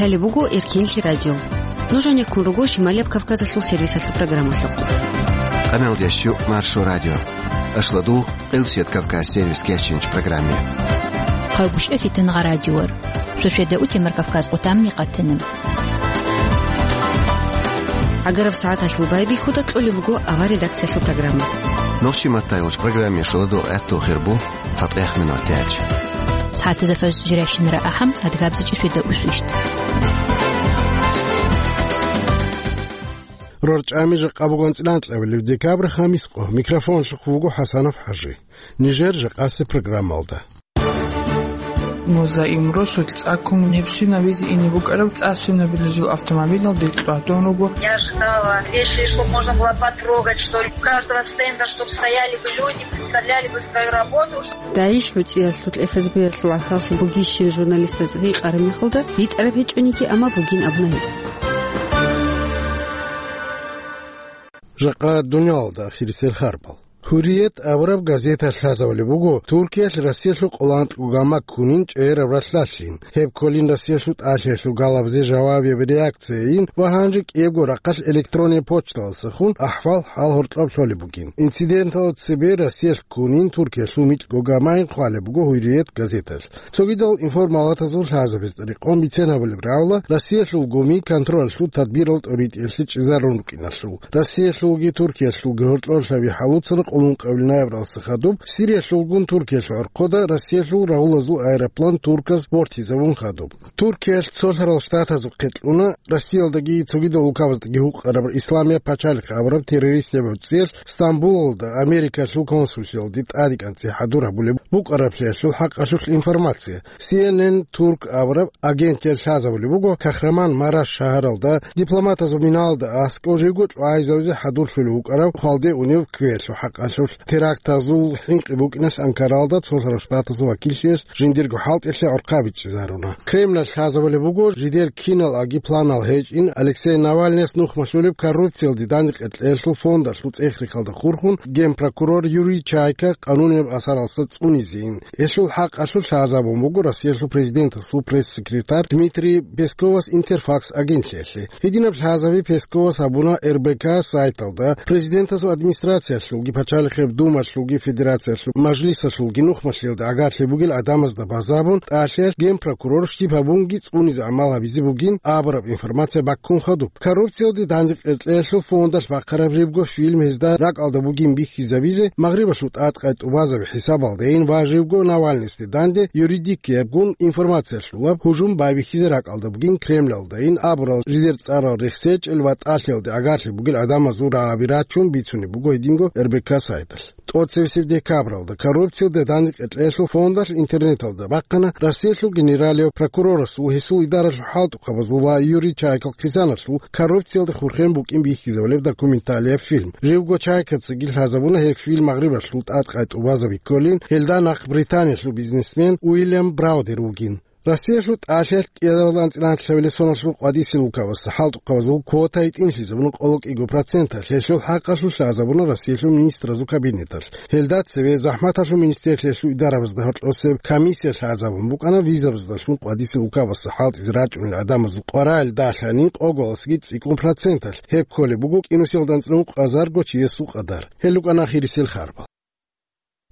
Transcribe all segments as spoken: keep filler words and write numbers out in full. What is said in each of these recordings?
Гьале буго Эркенлъи радио. Нуж гьанеккун руго Шималияб Кавказалъул сервисалъул программалъухъ. Къаналдящу Маршо радио. Ашладул Къилсият Кавказ сервис кечинч программе. Хъавгушев Фитангъа радиор. Шошеда утемар Кавказ къутамни къатана. Агараб сагӀаталъул байбихьуда кьолеб буго авар редакциялъул программа. Нохчи маттайолч программе шуладу гӀатту хирбу. ЦатӀех минутач. СагӀатазда фажр жирайщинара ахӀам, адгабзачӀи шведа усвищт. РорчӀами жакъа буган цӀиланкьавилев декабрь хамис къо. Микрофон шухъ вуго ХӀасанов ХӀажи. Нижер жакъаси программалда. Музаим Росулъ цӀаккун гьебсинавизе ине букӀараб цӀа-сунабилазул автомобилалде кьватун руго. Я ждала вещи, чтоб можно было потрогать, что ли. У каждого стенда, чтоб стояли бы люди, представляли бы свою работу. ДАИШ гӀуцӀиялъул, ФСБ-ялъул гӀахьаллъи бугищин журналистаз гьикъараб мехалда, битӀараб гьечӀониги, амма бугин абуна гьес. Жакъа дуниялалда ахирисел харбал. «Гьуррият» абураб газета лъазавулеб буго Туркиялъ Россиялъул къоло анкьго гама ккунин чӀегӀераб ралъдалъин. Гьеб кколин Россиялъул тӀалъиялъул галабизе жавабияб реакцияйин ва гьанже кӀиябго рахъалъ электронный почталдасахун ахӀвал-хӀал гьоркьоб лъолеб бугин. Инциденталда цебе Россиялъ ккунин Туркиялъул микьго гамайин хъвалеб буго «Гьуррият» газеталъ. Цогидал информалатазул лъазабизе рекъон бицен гьабулеб рагӀула Россиялъул гуми контролалъул тадбирал тӀоритӀиялъе чӀезарун рукӀиналъул. Россиялъулги Туркиялъулги гьоркьорлъаби хӀалуцана къоло ункъабилеб ноябралдаса хадуб Сириялъулгун Туркиялъул гӀорхъода Россиялъул рагьулазул аэроплан турказ бортизабун хадуб. Туркиялъ Цолъарал Штатазухъе кьуна Россиялдаги цогидал улкабаздаги гьукъараб Исламияб пачалихъ абураб террористияб гӀуцӀиялъ Стамбулалда Америкалъул консуллъиялде тӀадекӀанцӀи хӀадур гьабулеб букӀараблъиялъул хӀакъалъулъ информация. Си Эн Эн Турк абураб агентиялъ лъазабулеб буго Кахраман Мараш шагьаралда дипломатазул миналда аскӀов живго чӀвайзавизе хӀадурлъулев вукӀарав хвалде унев кквеялъул хӀакъалъулъ терактазул хӀинкъи букӀиналъ Анкаралда Цолъарал Штатазул вакиллъиялъ жиндирго хӀалтӀилъи гӀорхъа бичӀчӀизаруна. Кремлалъ лъазабулеб буго жидер кинал аги планал гьечӀин Алексей Навальныяс нухмалъулеб коррупциялде дандекъекьеялъул фондалъул цӀех-рехалда хурхун генпрокурор Юрий Чайка къанунияб асаралъа цӀунизейин. Гьелъул хӀакъалъулъ лъазабун буго Россиялъул президентасул пресс-секретарь Дмитрий Песковас Интерфакс агентлъиялъе. Гьединаб лъазаби Песковас гьабуна Р Б К сайталда, президентасул администрациялъулги, пачалихъеб думалъулги, федерациялъул мажлисалъулги нухмалъиялда гӀагарлъи бугел гӀадамазда базабун, тӀалъиялъ генпрокурор щиб гьабунги цӀунизе гӀамал гьабизе бугин абураб информация баккун хадуб. Коррупциялде дандекъекьеялъул фондалъ бахъараб жибго фильм гьезда ракӀалда бугин бихьизабизе, Магърибалъул тӀадкъай тӀубазаби хӀисабалдейин ва живго Навальныйсде данде юридикиябгун информациялъулаб гьужум байбихьизе ракӀалда бугин Кремлалдайин абурал жидер цӀарал рехсечӀел ва тӀалъиялде гӀагарлъи бугел гӀадамазул рагӀаби рачун бицунеб буго гьединго Р Б К сайталъ. ТӀоцевесеб декабралда коррупциялде дандекъекьеялъул фондалъ интернеталда бахъана Россиялъул генералияв прокурорасул, гьесул идаралъул хӀалтӀухъабазул ва Юрий Чайкал хъизаналъул коррупциялде хурхен букӀин бихьизабулеб документалияб фильм. Живго Чайкацаги лъазабуна гьеб фильм Магърибалъул тӀадкъай тӀубазаби кколин, гьелда нахъ Британиялъул бизнесмен Уильям Браудер вугин. Россиялъул тӀалъиялъ кӀиабилеб анцӀила анлъабилеб соналъул къвадисел улкабазда хӀалтӀухъабазул квота гьитӀинлъизабуна къоло кӀиго проценталъ, гьелъул хӀакъалъулъ лъазабуна Россиялъул министразул кабинеталъ. Гьелда цеве ЗахӀматалъул министерствоялъул идарабазда гьоркьосеб комиссия лъазабун букӀана визабаздалъун къвадисел улкабазда хӀалтӀизе рачӀунел гӀадамазул къваригӀел далъанин къоголасги цӀикӀкӀун проценталъ, гьеб кколеб буго кӀинусиялда анцӀила ункъазарго чиясул къадар. Гьел рукӀана ахирисел харбал.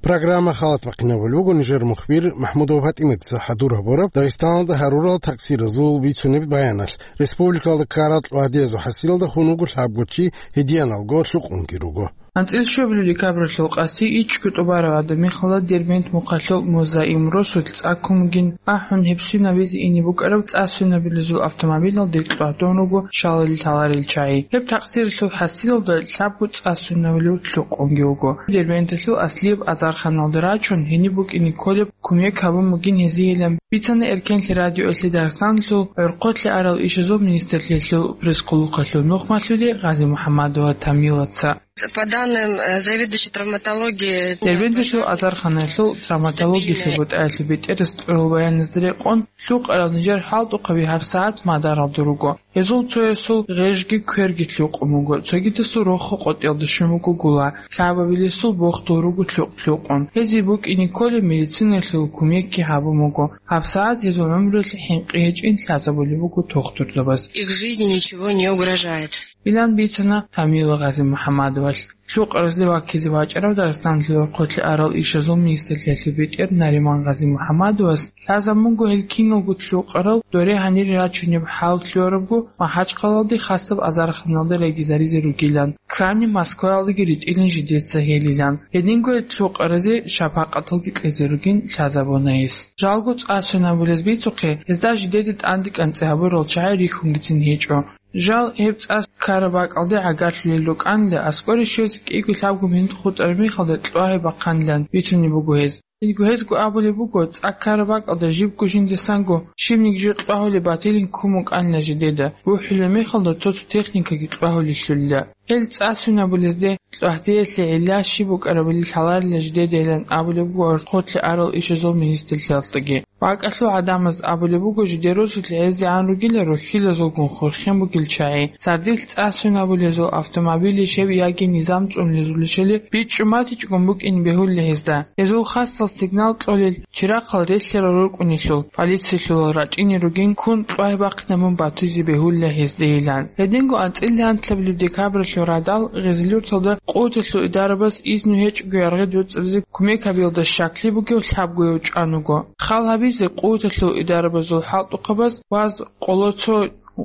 Программа халат бахъинабулеб буго нижер мухбир МахӀмудова ПатӀиматица хӀадур гьабураб Дагъистаналда гьарурал такъсиразул бицунеб баяналъ. Республикалда ккарал кьвагьдиязул хӀасилалда хун вуго лъабго чи, гьединалго лъукъунги руго. АнцӀила щуабилеб декабралъул къаси ичӀго тӀубараб гӀадаб мехалда Дербент мухъалъул Музаим Росулъ цӀаккун бугин, ахӀун гьебсинавизе ине букӀараб цӀа-сунабилазул автомобилалде кьватун руго шалил лъаларел чагӀи. Гьеб такъсиралъул хӀасилалда лъабго цӀа-сунавилев лъукъунги вуго. Дербенталъул аслияб азарханалде рачун, гьениб букӀине кколеб кумек гьабун бугин гьезиеилан бицана Эркенлъи радиоялъе Дагъистаналъул гӀорхъолъи арал ишазул министрлъиялъул пресс-къулухъалъул нухмалъули Гъази-МухӀамадова Тамилаца. По данным, э, заведующей травматологии, Дербенталъул азарханаялъул травматологиялъул бутӀаялъул бетӀерас кьурал баяназда рекъон, лъукъарал нижер хӀалтӀухъаби гьабсагӀат мадаралда руго. Гьезул цоясул гъежги кверги лъукъун буго, цогидасул рохо къотӀиялда щун буго гула, лъабабилесул бохдул руго лъукъ-лъукъун. Гьезие букӀине кколеб медицинаялъул кумекги гьабун буго. ГьабсагӀат гьезул гӀумруялъе хӀинкъи гьечӀин лъазабулеб буго тухтурзабаз. Их жизни ничего не угрожает. Илан бицана Тамила Гъазимухьамадовалъ. Лъукъаразде ваккизе вачӀарав Дагъистаналъул хъулъи арал ишазул министрлъиялъул бетӀер Нариман Гъазимухьамадовас лъазабун буго гьел киналго лъукъарал доре гьанире рачунеб хӀал лъугьарабго МахӀачхъалалде хасаб азарханалда регизаризе ругилан, ккани Москваялдаги ритӀилин жидеца гьелилан. Гьединго гьел лъукъаразе шапакъаталги кьезе ругин лъазабуна гьес. Жалго цӀа сунабулез бицухъе, гьезда жидеда тӀанде кӀанцӀи гьабурал чагӀи рихьунгицин гьечӀо. Жал гьеб цӀа ккараб бакӀалде гӀагарлъулел рукӀанила, аскӀоре щвезе кӀиго-лъабго минут хутӀараб мехалда кьвагьи бахъанилан бицунеб буго гьез. Гьединго гьезго абулеб буго, цӀа ккараб бакӀалда жибго жиндасанго щибниги жо кьвагьулеб батилин ккун букӀанила жидеда, бухӀулеб мехалда цо-цо техникаги кьвагьулелъулила. Гьел цӀа сунабулезде кьвагьдеялъе гӀилла щиб букӀарабали лъаларила жидедайилан абулеб буго хъулъи арал ишазул министрлъиялдаги. БакӀалъул гӀадамаз абулеб буго, жидер росулъ гӀезегӀан ругила рухьилазулгун хурхен бугел чагӀи. Сардилъ цӀа сунабулезул автомобилищ гьеб яги низам цӀунлезулищали бичӀчӀу матичӀгун букӀин бегьулла гьезда. Гьезул хасал сигнал кьолел чирахъал релълъарал рукӀунелъул, полициялъул рачӀине ругин ккун кьвагьи бахъинабун батизе бегьулла гьездейилан. Гьединго анцӀила гьантлъабилеб декабралъул радал Гъезилюрталда къуваталъул идарабаз изну гьечӀого яргъи доцӀизе кумек гьабиялда щаклъи бугев лъабгояв чӀван вуго. Хал гьабизе къуваталъул идарабазул хӀалтӀухъабаз ваз къоло цо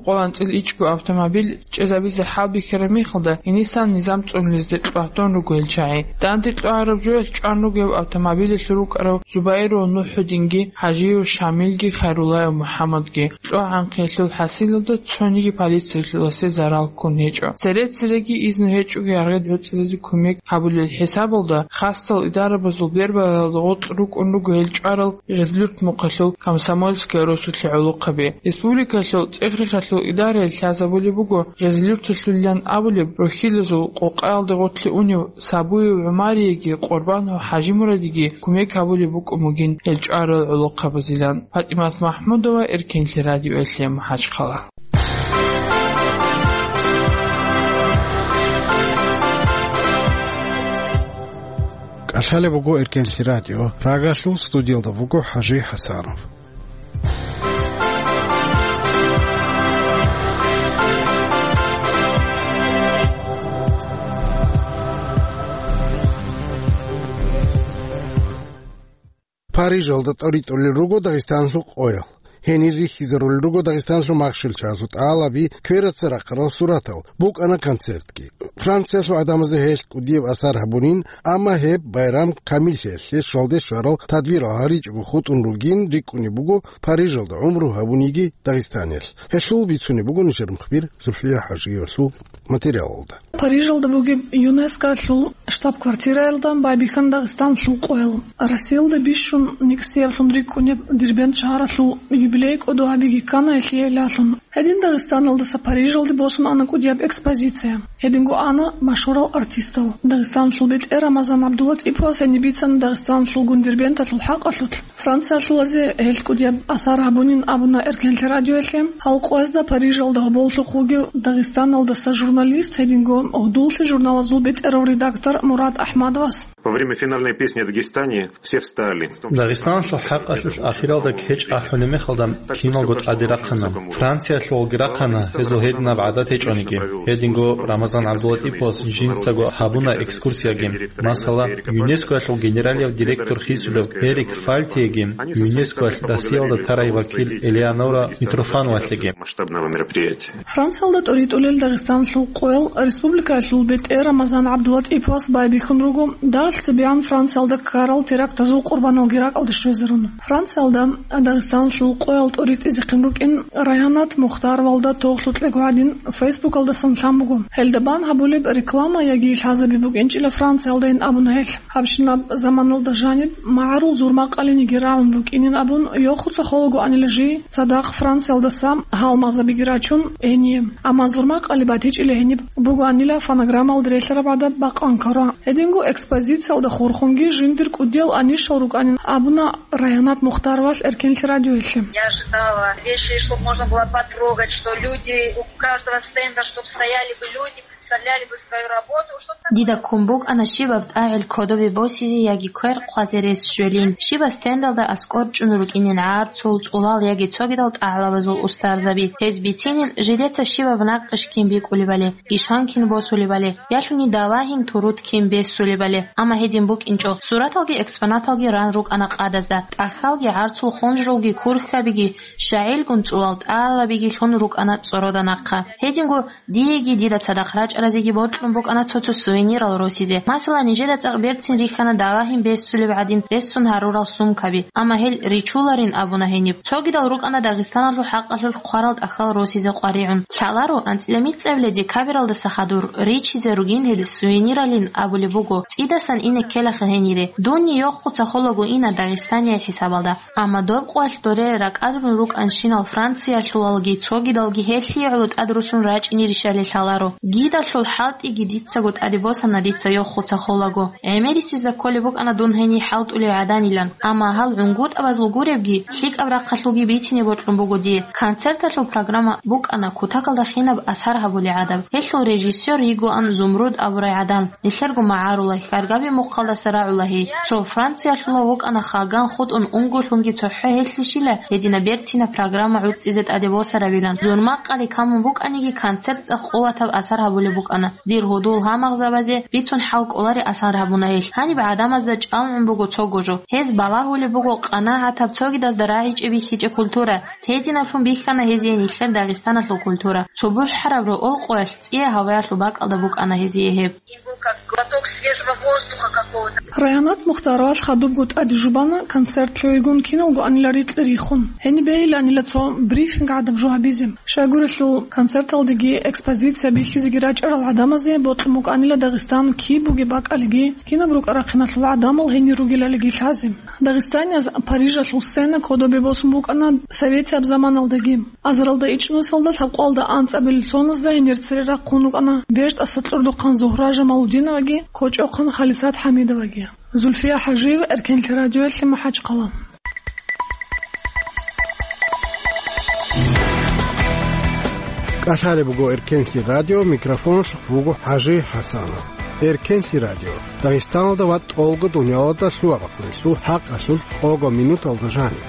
къоло анцӀила ичӀго автомобиль чӀезабизе хӀалбихьараб мехалда, гьенисан низам цӀунлезде кьвагьдун руго гьел чагӀи. Данде кьвагьараб жоялъ чӀван руго гьеб автомобилалъур рукӀарав Зубайров НухӀудинги, ХӀажиев Шамилги, Хайруллаев МухӀаммадги. КьвагӀанхъиялъул хӀасилалда цониги полициялъуласе зарал ккун гьечӀо. Цере-цереги изну гьечӀого яргъи доцӀизе кумек гьабулел хӀисабалда, хасал идарабазул бербалалда гъоркь рукӀун руго гьел чӀварал Гъезлюрт мухъалъул Комсомольская росулъе гӀолохъаби. Республикалъул цӀехрихъалъул идараялъ лъазабулеб буго Гъезлюрталъулилан абулеб рухьилазул къокъаялда гъоркье унев Сабуев ГӀумарияги Къурбанов ХӀажимурадиги кумек гьабулеб букӀун бугин гьел чӀварал гӀолохъабазилан. ПатӀимат МахӀмудова, Эркенлъи радиоялъе, МахӀачхъала. КӀалъалеб буго Эркенлъи радио. Прагалъул студиялда буго ХӀажи ХӀасанов. Парижалда тӀоритӀулел руго Дагъистаналъул къоял. Гьенир рихьизарулел руго Дагъистаналъул махщел чагӀазул тӀалаби, квераца рахъарал суратал, букӀана концертги. Франциялъул гӀадамазда гьелъ кӀудияб асар гьабунин, амма гьеб байрам камиллъиялъе щвалде щварал тадбирал гьаричӀого хутӀун ругин рикӀкӀунеб буго Парижалда гӀумру гьабуниги Дагъистаниялъ. Гьелъул бицунеб буго нижер мухбир Зульфия ХӀажиевалъул материалалда. Парижалда бугеб ЮНЕСКОлъул штаб-квартираялда байбихьана Дагъистаналъул къоял. Россиялда бищун никсиялъун рикӀкӀунеб Дербент шагьаралъул юбилей кӀодо гьабиги ккана гьелъие лъалъун. Гьедин Дагъистаналдаса Парижалде босун ана кӀудияб экспозиция. Гьединго ана машгьурал артистал. Дагъистаналъул бетӀер Рамазан ГӀабдуллатӀиповас гьениб бицана Дагъистаналъулгун Дербенталъул хӀакъалъулъ Франциялъулазе гьелъ кӀудияб асар гьабунин абуна Эркенлъи радиоялъе. Гьал къоязда Парижалда гьоболлъухъ вугев Дагъистаналдаса журналист, гьединго «Гьудуллъи» журналазул бетӀерав редактор Мурад АхӀмадовас. Во время финальной песни о Дагестане все встали. Дагъистаналъул хӀакъалъулъ ахиралда кечӀ ахӀулеб мехалда киналго тӀаде рахъана. Франциялъулги рахъана, гьезул гьединаб гӀадат гьечӀониги. Гьединго Рамазан ГӀабдуллатӀиповас жинцаго гьабуна экскурсияги. Масала, ЮНЕСКОялъул генералияв директор хисулев Эрик Фальтиеги, ЮНЕСКОялъ Россиялда тарай вакил Элеонора Митрофановалъеги. Масштабного мероприятия. Франциялда тӀоритӀулел Дагъистаналъул къоял республикаялъул бетӀер Рамазан ГӀабдуллатӀиповас байбихьун руго, дагьалъ цебегӀан Франциялда ккарал терактазул къурбаналги ракӀалде щвезарун. Франциялда Дагъистаналъул къоял тӀоритӀизехъин рукӀин Райгьанат Мухтаровалда тогьлъукьего гӀадин, Фейсбукалдасан лъан буго. Гьелда бан гьабулеб реклама яги лъазаби букӀинчӀила Франциялдайин абуна гьелъ. Гьабщинаб заманалда жаниб магӀарул зурмакъалиниги рагӀун букӀинин абун, йохуца холагоанила жий цадахъ Франциялдаса гьалмагъзабиги рачун гьение. Амма зурмакъали батичӀила гьениб бугоанила фонограммалда релълъараб гӀадаб бакъан ккарун. Гьединго экспозициялда хурхунги жиндир кӀудиял анищал рукӀанин абуна Райгьанат Мухтаровалъ Эркенлъи радиоялъе. Я же Вещи, чтоб можно было потрогать, что люди у каждого стенда, чтоб стояли бы люди, представляли бы свою работу, чтоб такое. Дида ккун букӀана щибаб тӀагӀел кодобе босизе яги квер хъвазе рес щвелин, щибаб стендалда аскӀор чӀун рукӀинин гӀарцул, цӀулал яги цогидал тӀагӀлабазул устарзаби. Гьез бицинин жидеца щибаб накъиш кин бикӀулебали, ишан кин босулебали, ялъуни давагьин турут кин бессулебали. Амма гьедин букӀинчӀо, сураталги экспонаталги ран рукӀана къадазда, тӀахьалги гӀарцул хунжрулги курхьабиги, щагӀилгун цӀулал тӀагӀлабиги лъун рукӀана цӀорода нахъа. Гьединго диеги дида цадахъ рачӀаразеги бокьун букӀана цо-цо сувенирал росизе. Масала, нижеда цӀакъ берцин рихьана давагьин бессулеб гӀадин рессун гьарурал сумкаби, амма гьел ричуларин абуна гьениб. Цогидал рукӀана Дагъистаналъул хӀакъалъулъ хъварал тӀахьал росизе къваригӀун. Лъаларо, анцӀила мицӀабила декабралдаса хадур ричизе ругин гьел сувениралин абулеб буго, цӀидасан ине ккелаха гьенире. Дунни йохуца холаго ина Дагъистания хӀисабалда. Амма доб къоялъ доре ракӀалдун рукӀанщинал Франциялъулалги цогидалги гьелъие гӀоло тӀадрусун рачӀинирищали лъаларо. Гидалъул хӀалтӀиги дицаго тӀаде босана дица йохуца холаго. ГӀемерисезда кколеб букӀана дун гьениб хӀалтӀулей гӀаданилан, амма гьал гӀунгутӀабазул гуребги, лъикӀаб рахъалъулги бицине бокьун буго дие. Концерталъул программа букӀана кутакалда хинаб асар гьабулей гӀадаб. Гьелъул режиссёр йигоан Зумруд абурай гӀадан. Нилъерго магӀарулай, хьаргаби мухъалдаса рагӀула гьей. Цо Франциялъула вукӀана хаган хутӀун унго лъунги цохӀо гьелъищила гьединаб берцинаб программа гӀуцӀизе тӀаде босарабилан. Зурмакъали камун букӀаниги, концерт цӀакъ къуватаб асар гьабулеб букӀана. Дир гьудул гьамагъзабазе бицун хӀал кӀолари асар гьабуна гьелъ. Гьаниб гӀадамазда чӀалгӀун буго цого жо. Гьез балагьулеб буго къанагӀатаб цогидазда рагӀичӀеб бихьичӀеб культура. Гьединаблъун бихьана гьезие нилъер Дагъистаналъул культура. Цо бухӀараб рокъоялъ цӀия гьаваялъул бакӀалда букӀана гьезие гьеб. Им был как глоток свежего воздуха какого-то. Райгьанат Мухтаровалъ хадубго тӀаде жубана концерт лъугӀигун киналго анила рикьи рихун. Гьениб бегьиланила цо брифинг гӀадаб жо гьабизе. Щайгурелъул концерталдеги экспозиция бихьизеги рачӀарал гӀадамазе бокьун букӀанила Дагъистан киб бугеб бакӀалиги, кинаб рукӀа-рахъиналъул гӀадамал гьенир ругелалиги лъазе. Дагъистанияз Парижалъул сцена кодобе босун букӀана советияб заманалдаги. Азаралда ичӀнусалда лъабкъоялда анцӀабилеб соназда гьенир цере рахъун рукӀана БертӀаса кьурдухъан Зугьра Жамалудиноваги кочӀохъан Халисат ХӀамидоваги. Зульфия ХӀажиева, Эркенлъи радиоялъе, МахӀачхъала. КӀалъалеб буго Эркенлъи радио, микрофон щухъ буго ХӀажи ХӀасанов. Эркенлъи радио, Дагъистаналда ва тӀолго дуниялалда лъугьа-бахъинелъул хӀакъалъулъ къого минуталда жаниб.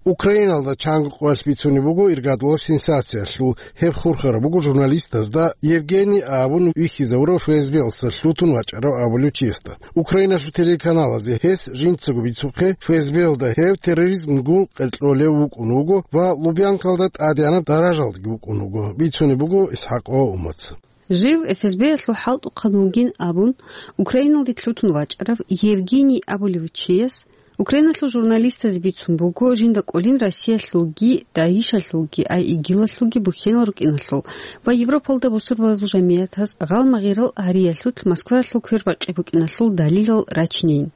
Украиналда чанго къоялъ бицунеб буго иргадулаб сенсациялъул. Гьеб хурхараб буго журналистазда Евгений абун вихьизавурав ФСБ-ялдаса лъутун вачӀарав абулев чиясда. Украиналъул телеканалазе гьес жинцаго бицухъе, ФСБ-ялда гьев терроризмгун къеркьолев вукӀун вуго ва Лубянкалда тӀадегӀанаб даражалдаги вукӀун вуго, бицунеб буго ИсхӀакъова Умаца. Жив ФСБ-ялъул хӀалтӀухъан вугин абун, Украиналде лъутун вачӀарав Евгений абулев чияс Украиналъул журналистазе бицун буго, жинда кӀолин Россиялъулги, ДАИШалъулги, ай ИГИЛалъулги бухьенал рукӀиналъул ва Европалда бусурбабазул жамигӀатаз гъалмагъирал гьариялъулъ Москваялъул квербакъи букӀиналъул далилал рачинейин.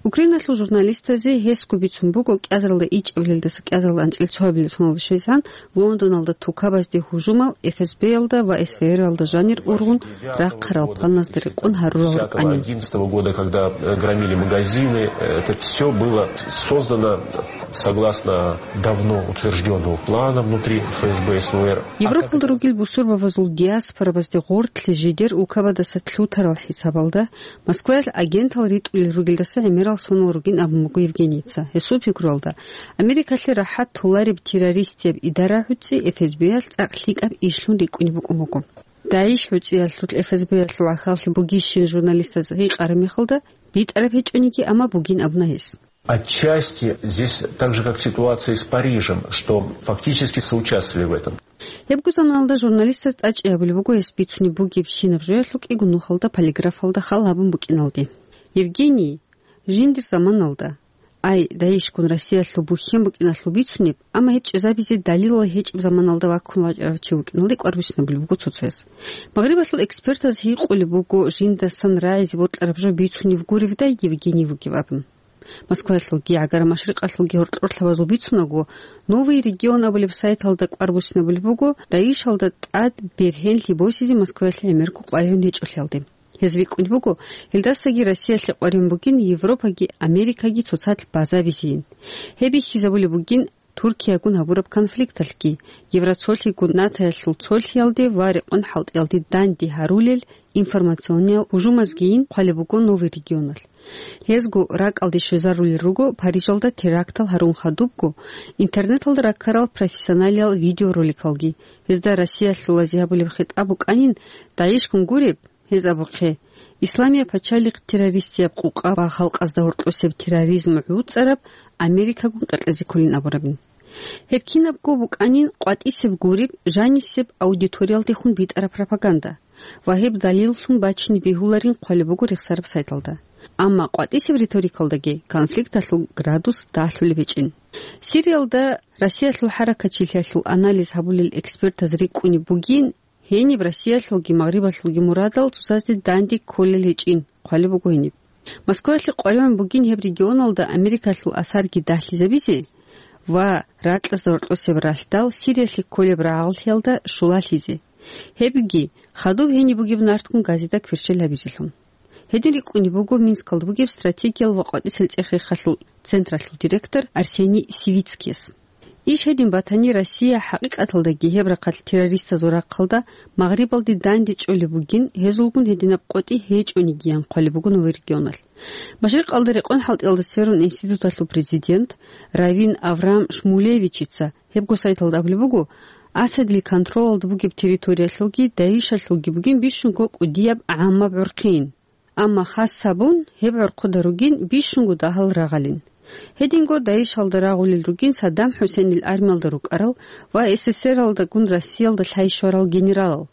Украиналъул журналистазе гьесго бицун буго кӀиазаралда ичӀабилелдаса кӀиазаралда анцӀила цоабилеб соналда щвезегӀан Лондоналда тукабазде гьужумал ФСБ-ялда ва СВР-алда жанир ургъун рахъарал планазда рекъон гьарурал рукӀанин. Одиннадцатого года, когда, э, громили магазины, э, это всё было создано согласно давно утверждённого плана внутри ФСБ СВР. Европалда ругел бусурбабазул диаспорабазде гъортлъи жидер улкабадаса лъутарал хӀисабалда Москваялъ агентал ритӀулел ругелдаса гӀемерал сонал ругин абун буго Евгенийица. Гьесул пикруялда, Америкалъе рахӀат толареб террористияб идара гӀуцӀи ФСБ-ялъ цӀакъ лъикӀаб ишлъун рикӀкӀунеб букӀун буго. ДАИШ гӀуцӀиялъулъ ФСБ-ялъул гӀахьаллъи бугищин журналистаз гьикъараб мехалда, битӀараб гьечӀониги, амма бугин абуна гьес. Отчасти здесь так же, как ситуация с Парижем, что фактически соучаствовали в этом. Гьебго заманалда журналистаз тӀачӀи гьабулеб буго гьес бицунеб бугебщинаб жоялъул кӀиго нухалда полиграфалда хал гьабун букӀиналде. Евгений, жиндир заманалда, ай, ДАИШгун Россиялъул бухьен букӀиналъул бицунеб, амма гьеб чӀезабизе далилал гьечӀеб заманалда ваккун вачӀарав чи вукӀиналде кӀвар буссинабулеб буго цо-цояс. Магърибалъул экспертаз гьикъулеб буго жиндасан рагӀизе бокьараб жо бицунеб гуревдай Евгений вугев абун. Москваялъулги, ГӀагара Машрикъалъулги гьоркьорлъабазул бицунаго, «Новый регион» абулеб сайталда кӀвар буссинабулеб буго ДАИШалда тӀад бергьенлъи босизе Москваялъе гӀемерго къваригӀун гьечӀолъиялде. Гьез рикӀкӀунеб буго, гьелдасаги Россиялъе къваригӀун бугин Европаги Америкаги цоцазда базабизейин. Гьеб бихьизабулеб бугин Туркиягун гьабураб конфликталъги, Евроцолъигун НАТОялъул цолъиялде ва рекъон хӀалтӀиялде данде гьарулел информациониял гьужумазгийин хъвалеб буго Новый регионалъ. Гьезго ракӀалде щвезарулел руго Парижалда терактал гьарун хадубго интернеталда раккарал профессионалиял видеороликалги. Гьезда Россиялъулазе гьабулеб хитӀаб букӀанин, ДАИШгун гуреб, гьез абухъе, Исламияб пачалихъ террористияб къукъа ва халкъазда гьоркьосеб терроризм гӀуцӀараб Америкагун къеркьезе кколин абурабин. Гьеб кинабго букӀанин къватӀисеб гуреб, жанисеб аудиториялдехун битӀараб пропаганда ва гьеб далиллъун бачине бегьуларин хъвалеб буго рехсараб сайталда. Амма къватӀисеб риторикалдаги конфликталъул градус дагьлъулеб гьечӀин. Сириялда Россиялъул хӀаракатчилъиялъул анализ гьабулел экспертаз рикӀкӀунеб бугин, гьениб Россиялъулги Магърибалъулги мурадал цоцазде данде кколел гьечӀин хъвалеб буго гьениб. Москваялъе къваригӀун бугин гьеб регионалда Америкалъул асарги дагьлъизабизе ва ракьазда гьоркьосеб ралъдал Сириялъе кколеб рагӀаллъиялда щулалъизе. Гьебги, хадуб гьениб бугеб нарткъун газида кверщел гьабизелъун. Гьедин рикӀкӀунеб буго Минскалда бугеб стратегиял ва къватӀисел цӀех-рехалъул централъул директор Арсений Сивицкияс. Иш гьедин батани, Россия хӀакъикъаталдаги гьеб рахъалъ террористазул рахъалда Магърибалде данде чӀолеб бугин, гьезулгун гьединаб къотӀи гьечӀонигиян хъвалеб буго Новый регионалъ. Машрикъалда рекъон хӀалтӀиялда сверун институталъул президент Равин Авраам Шмулевичица гьебго сайталда абулеб буго, Асадил контролалда бугеб территориялъулги ДАИШалъулги бугин бищунго кӀудияб гӀаммаб гӀурхъин. Амма хас гьабун, гьеб гӀурхъуда ругин бищунго дагьал рагъалин. Гьединго ДАИШалда рагъулел ругин Саддам ХӀусейнил армиялда рукӀарал ва СССРалдагун Россиялда лъай щварал генералал.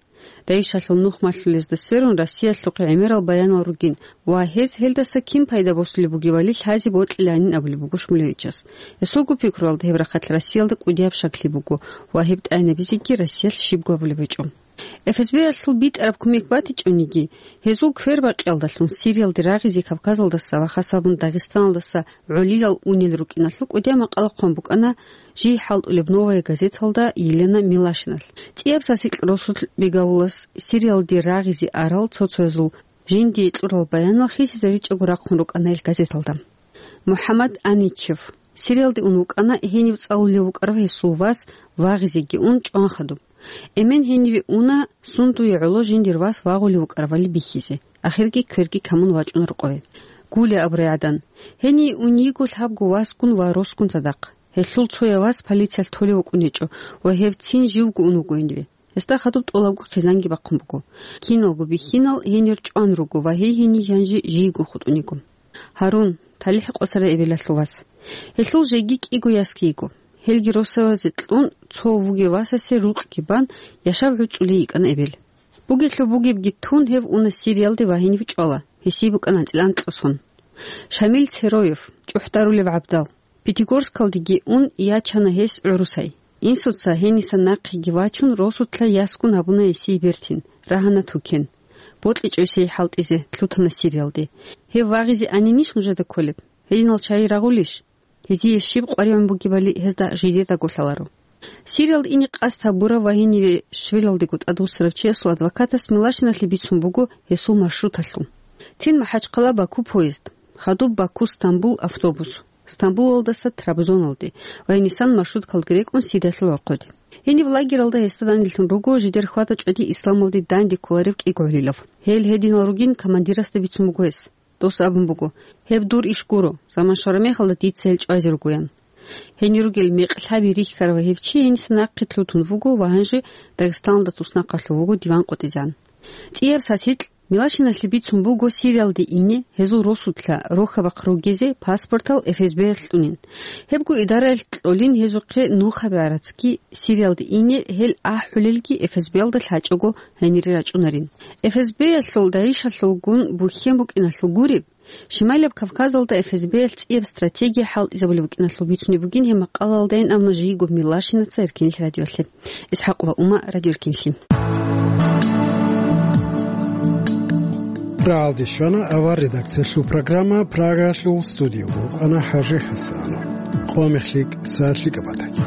ДАИШалъул нух малъулезда сверун Россиялъухъе гӀемерал баянал ругин ва гьез гьелдаса кин пайда босулеб бугебали лъазе бокьиланин абулеб буго Шмулевичас. Гьесулго пикруялда гьеб рахъалъ Россиялда кӀудияб щаклъи буго ва гьеб тӀагӀинабизеги Россиялъ щибго гьабулеб гьечӀо. ФСБ-ялъул битӀараб кумек батичӀониги, гьезул квербакъиялдалъун Сириялде рагъизе Кавказалдаса ва хас гьабун Дагъистаналдаса гӀолилал унел рукӀиналъул кӀудияб макъала хъван букӀана жий хӀалтӀулеб «Новая газеталда» Елена Милашиналъ. ЦӀияб сасикь росулъ Бегавулас Сириялде рагъизе арал цо-цоязул жиндие кьурал баянал хисизаричӀого рахъун рукӀана ил газеталда. МухӀаммад Аничев Сириялде ун вукӀана, гьенив цӀалулев вукӀарав гьесул вас вагъизеги ун чӀван хадуб. Эмен гьениве уна, сундуе гӀоло жиндир вас вагъулев вукӀарабали бихьизе, ахирги кверги камун вачӀуна рокъове. Гуля абурай гӀадан, гьение ун йиго лъабго васгун ва росгун цадахъ. Гьелъул цояв вас полициялъ толев вукӀун гьечӀо ва гьев цин живго ун вуго гьениве. Гьесда хадуб тӀолабго хъизанги бахъун буго. Киналго бихьинал гьенир чӀван руго ва гьей гьенив гьанже жийго хутӀун йиго. Гьарун, талихӀ къосарай эбелалъул вас. Гьелъул жеги кӀиго ясги йиго. Гьелги росавазе кьун, цо вугев васасе рукъги бан, яшав гӀуцӀулей йикӀана эбел. Бугелъул бугебги тун, гьев уна Сириялде ва гьенив чӀвала, гьесие букӀана анцӀила анкьго сон. Шамил Цероев, чӀухӀдарулев гӀабдал. Пятигорскалдеги ун ячана гьес гӀурусай. Инсуца гьенисан нахъеги вачун, росулъа ясгун гьабуна гьесие бертин, рагьана тукен. БокьичӀо гьесие хӀалтӀизе, лъутана Сириялде. Гьев вагъизе анинищ нужеда кколеб? Гьединал чагӀи рагъулищ? Гьезие щиб къваригӀун бугебали гьезда жидедаго лъаларо. Сириялда ине къасд гьабурав ва гьениве швелалдего тӀадвуссарав чиясул адвокатас Милашиналъе бицун буго гьесул маршруталъул. Цин МахӀачхъала-Баку поезд, хадуб Баку-Стамбул автобус, Стамбулалдаса Трабзоналде ва гьенисан маршруткалги рекӀун Сириялъул гӀорхъоде. Гьениб лагералда гьесда данделъун руго жидер хьвада-чӀвади исламалде данде кколарев кӀиго гӀолилав. Гьел гьединал ругин командирасда бицун буго гьес. Дос абун буго: «Гьеб дур иш гуро, заман щвараб мехалда дица гьел чӀвазе ругоян». Гьенир ругел мекъ лъаби рихьарав гьев чи гьениса нахъе лъутун вуго ва гьанже Дагъистаналда туснахъалъув вуго диван къотӀизегӀан. ЦӀияб сасикь Милашиналъе бицун буго Сириялде ине, гьезул росулъа рохьа-бахъ ругезе паспортал ФСБ-ялъ кьунин. Гьебго идараялъ кьолин гьезухъе нухаби гӀарацги, Сириялде ине гьел ахӀулелги ФСБ-ялда лъачӀого гьенире рачӀунарин. ФСБ-ялъул, ДАИШалъулгун бухьен букӀиналъул гуреб, Шималияб Кавказалда ФСБ-ялъ цӀияб стратегия хӀалтӀизабулеб букӀиналъул бицунеб бугин гьеб макъалаялдайин абуна жийго Милашинаца Эркенлъи радиоялъе. ИсхӀакъ ва Ума, Радио Эркенлъи. Рагьалде щвана авар редакциялъул программа, Прагаялъул студиялда вукӀана ХӀажи ХӀасанов. Къо мехлъи, сахлъи кӀабатаги.